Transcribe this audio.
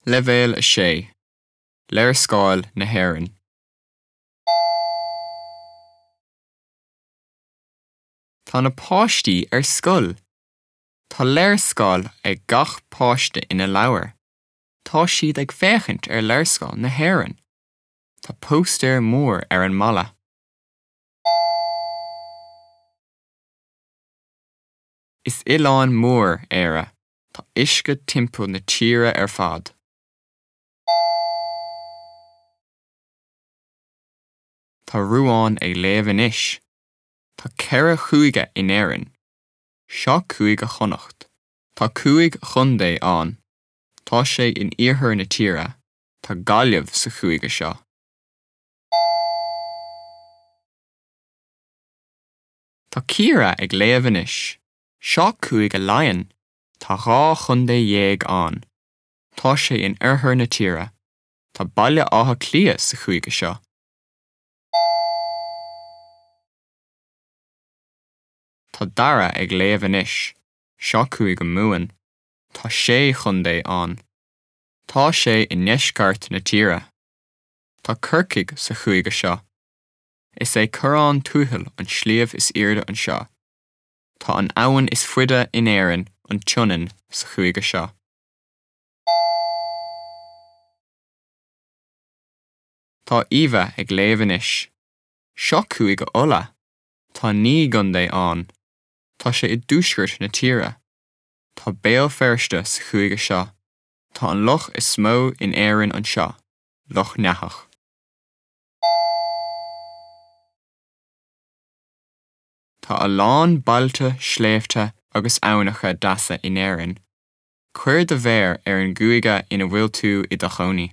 Leibhéal 6, Léarscáil na hÉireann. Tá na páistí ar scoil. Tá léarscáil ag gach páiste ina leabhar. Tá siad ag féachaint ar léarscáil na hÉireann. Tá póstaer mór ar an mballa. Is oileán mór Éire. Tá uisce timpeall na tíre ar fad. Tá Ruán ag léamh anois. Tá 4 chúige in Éirinn. Seo Cúige Chonnacht. Tá 5 chontae ann. Tá sé in iarthar na tíre. Tá Gaillimh sa chúige seo. Tá Ciara ag léamh anois. Seo Cúige Laighean. Tá 12 chontae ann. Tá sé in oirthear na tíre. Tá Baile Átha Cliath sa chúige seo. Tá Dara ag léamh anois. Seo Cúige Mumhan. Tá sé chontae ann. Tá sé i ndeisceart na tíre. Tá Corcaigh sa chúige seo. Is é Corrán Tuathail an sliabh is airde anseo. Tá an abhainn is faide in Éirinn, an tSionainn, sa chúige seo. Tá Eva ag léamh anois. Seo Cúige Uladh. Tá 9 gcontae ann. Tá sé i dtuaisceart na tíre. Tá Béal Feirste sa chúige seo. Tá an loch is mó in Éirinn anseo, Loch nEathach. Tá a lán bailte, sléibhte agus aibhneacha deasa in Éirinn. Cuir do mhéar ar an gcúige ina bhfuil tú i do chónaí.